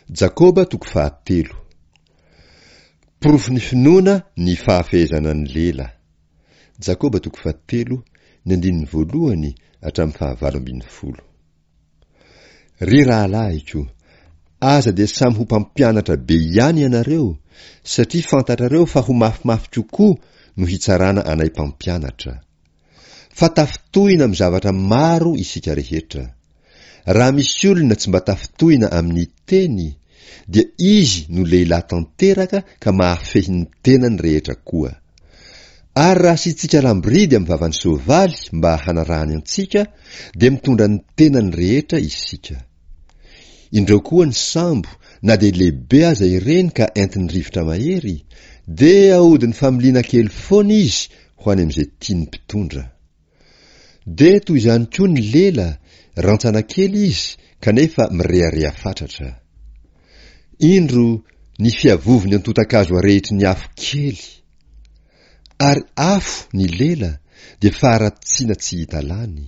Jakoba toko fahatelo. Porofon'ny finoana ny fahafehezana ny lela. Jakoba toko fahatelo, ny andininy voalohany hatramin'ny fahavalo ambin'ny folo. Ry rahalahiko, aza dia samy ho mpampianatra be ihany ianareo, satria fantatrareo fa ho mafimafy kokoa no hitsarana anay mpampianatra. Fa tafintohina amin'ny zavatra maro isika rehetra. Raha misy olona tsy mba tafintohina amin'ny teny, dia izy no lehilahy tanteraka ka mahafehy ny tenany rehetra koa. Ary raha asiantsika lamboridy amin'ny vavan'ny soavaly mba hanarahany antsika, dia mitondra ny tenany rehetra isika. Indreo koa ny sambo, na dia lehibe aza ireny ka entin'ny rivotra mahery, dia ahodin'ny familiana kely foana izy ho any amin'izay tian'ny mpitondra. Dia toy izany koa ny lela, rantsana kely izy kanefa mirehareha fatratra. Indro ny fiavovon'ny antontan-kazo arehitry ny afo kely. Ary afo ny lela dia faharatsiana tsy hita lany.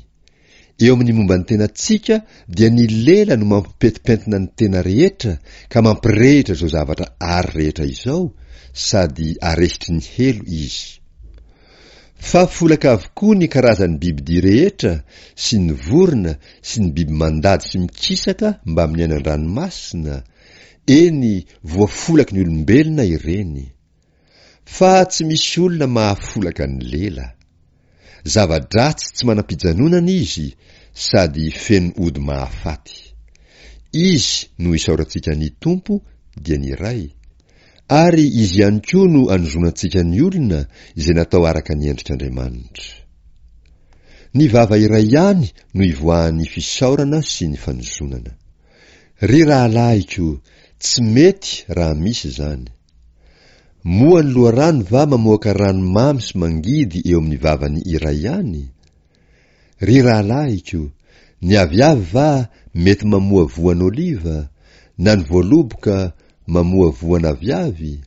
Eo amin'ny momba ny tenantsika dia ny lela no mampipentipentina ny tena rehetra ka mampirehitra izao zavatra ary rehetra izao sady arehitry ny helo izy. Fa folaka avokoa ny karazan'ny bibidia rehetra sy ny vorona sy ny biby mandady sy mikisaka mbamin'ny any an-dranomasina, eny voafolaky ny olombelona ireny. Fa tsy misy olona mahafolaka ny lela. Zava-dratsy tsy manam-pijanonana izy sady feno ody mahafaty. Izy no isaorantsika ny Tompo dia ny Ray, ary Izy ihany koa no anozonantsika ny olona izay natao araka ny endrik'Andriamanitra. Ny vava iray ihany no ivoahan'ny fisaorana sy ny fanozonana. Ry rahalahiko, tsy mety raha misy izany. Moa ny loharano va mamoaka rano mamy sy mangidy eo amin'ny vavany iray ihany? Ry rahalahiko, ny aviavy va mety mamoa voan'oliva, na ny voaloboka mamoa voan'aviavy?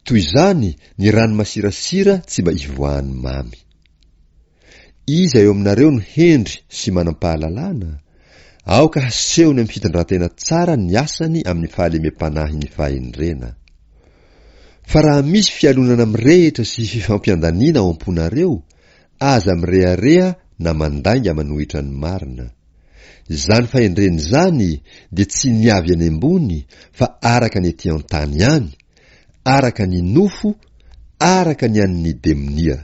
Toy izany ny rano masirasira tsy mba ivoahan'ny mamy. Iza eo aminareo no hendry sy manam-pahalalana? Aoka hasehony amin'ny fitondrantena tsara ny asany amin'ny fahalemem-panahin'ny fahendrena. Fa raha misy fialonana mirehitra sy fifampiandaniana ao am-ponareo, aza mirehareha na mandainga manohitra ny marina. Izany fahendrena izany dia tsy ny avy any ambony fa araka ny ety an-tany ihany, araka ny nofo, araka ny an'ny demonia.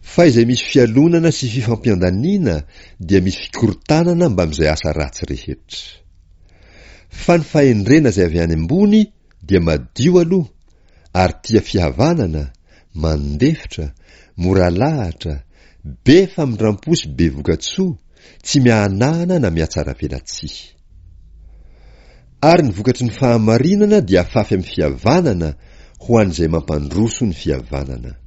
Fa izay misy fialonana sy fifampiandaniana dia misy fikorontanana mbamin'izay asa ratsy rehetra. Fa ny fahendrena izay avy any ambony dia madio aloha ary tia fihavanana, mandefitra, mora lahatra, be famindrampo sy be vokatsoa, tsy miahanahana na mihatsaravelatsihy. Ary ny vokatry ny fahamarinana dia afafy amin'ny fihavanana ho an'izay mampandroso ny fihavanana.